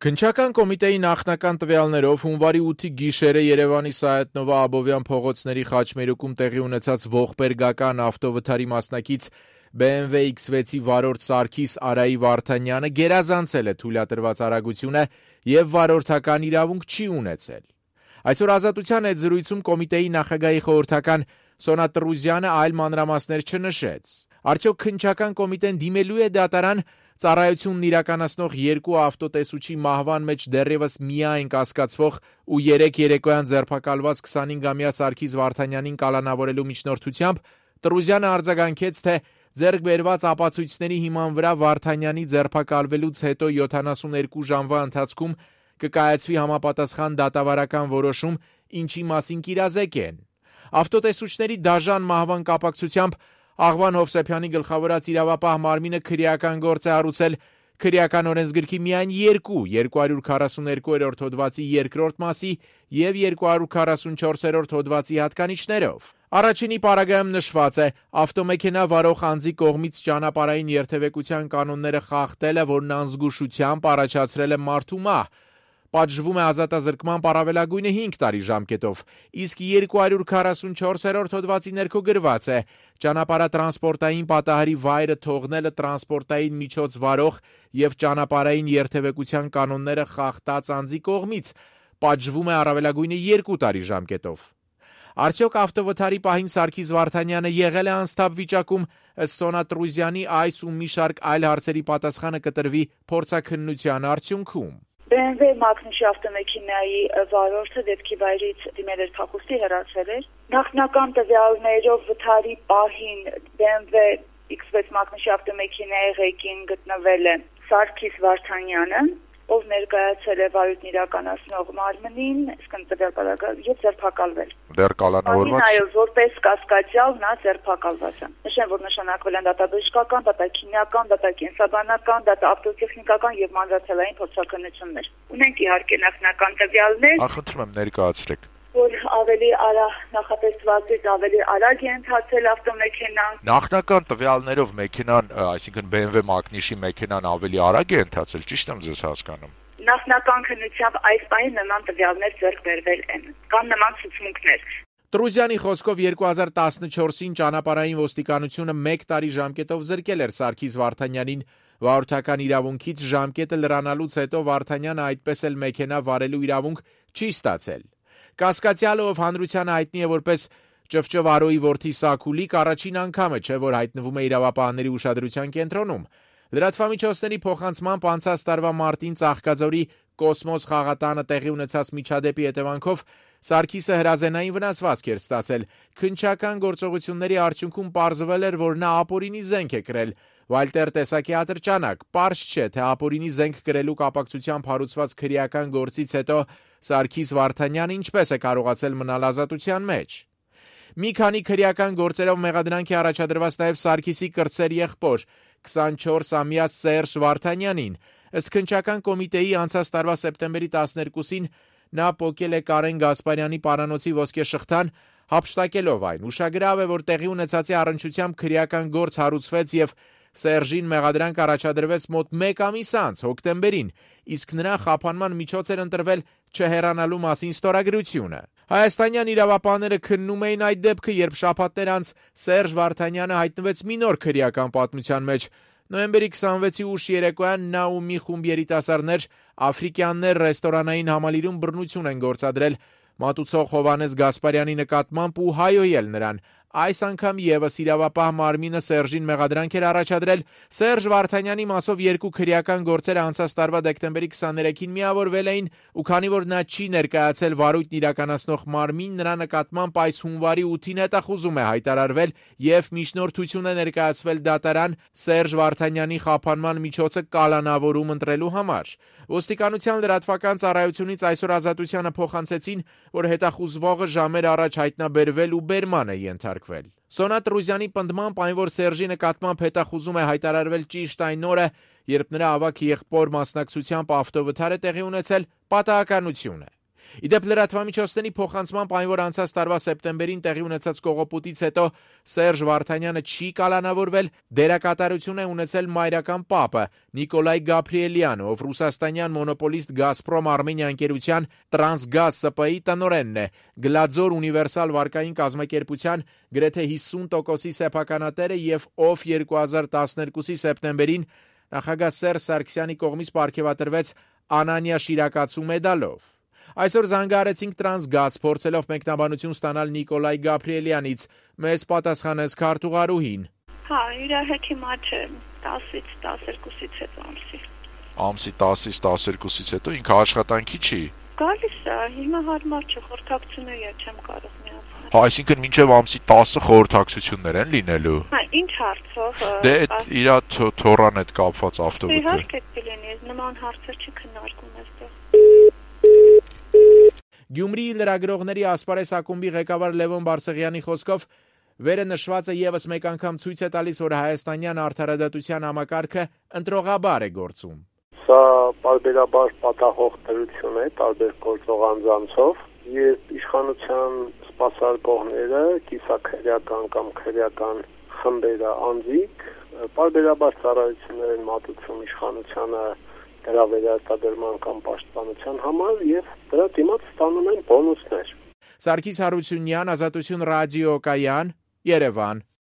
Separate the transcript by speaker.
Speaker 1: Քննչական կոմիտեի նախնական տվյալներով հունվարի 8-ի գիշերը Երևանի Սայաթ-Նովա Աբովյան փողոցների խաչմերուկում տեղի ունեցած ողբերգական ավտովթարի մասնակից BMW X6-ի վարորդ Սարգիս Արայի Վարդանյանը գերազանցել է թույլատրված արագությունը եւ վարորդական իրավունք չի ունեցել։ Այսօր Ազատության հետ զրույցում կոմիտեի նախագահի խորհրդական Սոնա Տրուզյանը այլ մանրամասներ չնշեց։ Արդյոք քննչական կոմիտեն դիմելու է դատարան ծառայությունն իրականացնող երկու ավտոտեսուչի մահվան մեջ դեռևս միայն կասկածվող ու 3 երեկոյան ձերբակալված 25-ամյա Սարգիս Վարդանյանին կալանավորելու միջնորդությամբ Տրուզյանը արձագանքեց, թե ձեռք բերված ապացույցների հիման վրա Վարդանյանի ձերբակալվելուց հետո 72 ժամվա ընթացքում կկայացվի համապատասխան դատավարական որոշում, ինչի մասին կիրազեկ են։ Ավտոտեսուչների դաժան մահվան կապակցությամբ Աղվան Հովսեփյանի գլխավորած իրավապահ մարմինը քրեական գործ է առուցել քրեական օրենսգրքի միայն 242-րդ հոդվածի 2-րդ մասի և 244-րդ հոդվածի հատկանիշներով։ Առաջինի պարագայում նշված է. ավտոմեքենա վարող անձի կողմից ճանապարհային երթևեկության կանոնները խախտելը, որն անզգուշությամբ առաջացրել է մարդու մահ, պատժվում է ազատազրկման առավելագույնը 5 տարի ժամկետով, իսկ 244-րդ հոդվածի ներքո գրված է. ճանապարհատրանսպորտային պատահարի վայրը թողնելը տրանսպորտային միջոց վարող և ճանապարհային երթևեկության կանոնները խախտած անձի կողմից, պատժվում է առավելագույնը 2 տարի ժամկետով։ Արդյոք ավտովթարի պահին Սարգիս Վարդանյանը եղել է անսթափ վիճակում, ըստ Սոնա Տրուզյանի այս ու մի շարք այլ հարցերի պատասխանը կտրվի փորձաքննության արդյունքում։
Speaker 2: BMW մակնիշի ավտոմեքենայի վարորդը դեպքի վայրից դիմել էր փախուստի, հեռացվել էր։ Նախնական տվյալներով վթարի պահին BMW X6 մակնիշի ավտոմեքենայի ղեկին գտնվել է Սարգիս Վարդանյանը, ով ներկայացել է վարույթն իրականացնող մարմնին, իսկ տվյալ պարագայում եւ ձերբակալվել։
Speaker 3: Դեռ կալանավորված։
Speaker 2: Այո, որպես կասկածյալ նա ձերբակալված է։ Նշեմ, որ նշանակվել են դատաբժշկական, դատաքիմիական, դատակենսաբանական, դատաավտոտեխնիկական եւ մանրաթելային փորձաքննություններ։ Ունենք իհարկե նախնական տվյալներ։
Speaker 3: Խնդրում եմ ներկայացրեք։
Speaker 2: Որ ավելի նախատեսվածից ավելի արագ է ընթացել ավտոմեքենան։
Speaker 3: Նախնական տվյալներով մեքենան, այսինքն BMW մակնիշի մեքենան ավելի արագ է ընթացել, ճիշտ եմ ձեզ հասկանում։
Speaker 2: Նախնական քննությամբ այս պահին նման տվյալներ ձեռք բերվել են։ Կան նման ցուցմունքներ։
Speaker 1: Տրուզյանի խոսքով 2014-ին ճանապարհային ոստիկանությունը 1 տարի ժամկետով զրկել էր Սարգիս Վարդանյանին վարորդական իրավունքից, ժամկետը լրանալուց հետո Վարդանյանը այդպես էլ մեքենա վարելու իրավունք չի ստացել։ Կասկածյալը, ով հանրությանը հայտնի է որպես Ճվճվարոյի որդի Սաքուլիկ, առաջին անգամը չէ, որ հայտնվում է իրավապահների ուշադրության կենտրոնում։ Լրատվամիջոցների փոխանցմամբ անցած տարվա մարտին Ծաղկաձորի Կոսմոս խաղատանը տեղի ունեցած միջադեպի հետևանքով Սարգիսը հրազենային վնասվածք էր ստացել։ Քննչական գործողությունների արդյունքում պարզվել էր, որ նա ապօրինի զենք է կրել։ Վալտեր տեսակի ատրճանակ, պարզ չէ, թե ապօրինի զենք կրելու կապակցությամբ հարուցված քրեական գործից հետո Սարգիս Վարդանյանը ինչպես է կարողացել մնալ ազատության մեջ։ Մի քանի քրեական գործերով մեղադրանք է առաջադրված նաև Սարգիսի կրտսեր եղբոր 24-ամյա Սերժ Վարդանյանին։ Ըստ քննչական կոմիտեի անցած տարվա սեպտեմբերի 12-ին նա պոկել է Կարեն Գասպարյանի պարանոցի ոսկե շղթան, հափշտակելով այն։ Ուշագրավ է, որ տեղի ունեցածի առնչությամբ քրեական գործ հարուցվեց եւ Սերժին մեղադրանք առաջադրվեց մոտ 1 ամիս անց, հոկտեմբերին, իսկ նրա խափանման միջոց էր ընտրվել չհեռանալու մասին ստորագրությունը։ Հայաստանյան իրավապահները քննում էին այդ դեպքը, երբ շաբաթներ անց Սերժ Վարդանյանը հայտնվեց մի նոր քրեական պատմության մեջ։ Նոյեմբերի 26-ի ուշ երեկոյան նա ու մի խումբ երիտասարդներ աֆրիկյաններ ռեստորանային համալիրում բռնություն են գործադրել մատուցող Հովհաննես Գասպարյանի նկատմամբ ու հայոյել նրան։ Այս անգամ եւս իրավապահ մարմինը Սերժին մեղադրանք էր առաջադրել։ Սերժ Վարդանյանի մասով 2 քրեական գործերը անցած տարվա դեկտեմբերի 23-ին միավորվել էին, ու քանի որ նա չի ներկայացել վարույթն իրականացնող մարմին, նրա նկատմամբ այս հունվարի 8-ին հետախուզում է հայտարարվել եւ միջնորդություն է ներկայացվել դատարան Սերժ Վարդանյանի խափանման միջոցը կալանավորում ընտրելու համար։ Ոստիկանության լրատվական ծառայությունից այսօր Ազատությանը փոխանցեցին, որ հետախուզվողը ժամեր առաջ հայտնաբերվել ու բերման է ենթարկվել։ Սոնա Տրուզյանի պնդմամբ այն, որ Սերժի նկատմամբ հետախուզում է հայտարարվել ճիշտ այն օրը, երբ նրա ավագ եղբոր մասնակցությամբ ավտովթար է տեղի ունեցել, պատահականություն է։ Իդեպ լրատվամիջոցների փոխանցմամբ այն, որ անցած տարվա սեպտեմբերին տեղի ունեցած կողոպուտից հետո Սերժ Վարդանյանը չի կալանավորվել, դերակատարություն է ունեցել մայրական պապը Նիկոլայ Գաբրիելյանը, ով ռուսաստանյան մոնոպոլիստ Գազպրոմ Արմենիա ընկերության Տրանսգազ ՍՊ-ի տնօրենն է, Գլաձոր ունիվերսալ վարկային կազմակերպության գրեթե 50%-ի սեփականատերը եւ ով 2012-ի սեպտեմբերին նախագահ Սերժ Սարգսյանի կողմից պարգևատրվեց Անանյա շիրակացու մեդալով։ Այսօր զանգահարեցինք Տրանսգազ, փորձելով մեկնաբանություն ստանալ Նիկոլայ Գաբրիելյանից, մեզ պատասխանեց քարտուղարուհին։
Speaker 4: Հա, իր հետ հիմա չէ, 10-ից 12-ից հետո ամսի։
Speaker 3: Ամսի 10-ից 12-ից հետո ինքը աշխատանքի չի։
Speaker 4: Գալիս է, հիմա հարմար չէ, խորհրդակցություններ չեմ կարող միացնել։
Speaker 3: Հա, այսինքն մինչև ամսի 10-ը խորհրդակցություններ են լինելու։
Speaker 4: Հա, ինչ հարցով։
Speaker 3: Դե իր թորան հետ կապված ավտոբուսը։
Speaker 4: Իհարկե կլինի, նման հարցեր չքննարկում այստեղ։
Speaker 1: Գյումրիի լրագրողների ասպարեզ ակումբի ղեկավար Լևոն Բարսեղյանի խոսքով վերը նշվածը եւս մեկ անգամ ցույց է տալիս, որ հայաստանյան արդարադատության համակարգը ընտրողաբար է գործում։
Speaker 5: Սա պարբերաբար պատահող դրություն է տարբեր գործող անձանցով, երբ իշխանության սպասարկողները, կիսաքրեական կամ քրեական խմբերը անձիկ, պարբերաբար ծառայություններ են մատուցում իշխանությանը դրա վերարտադրման կամ պաշտպանության համար եւ դրա դիմաց ստանում են բոնուսներ։
Speaker 1: Սարգիս Հարությունյան, Ազատություն ռադիոկայան, Երևան։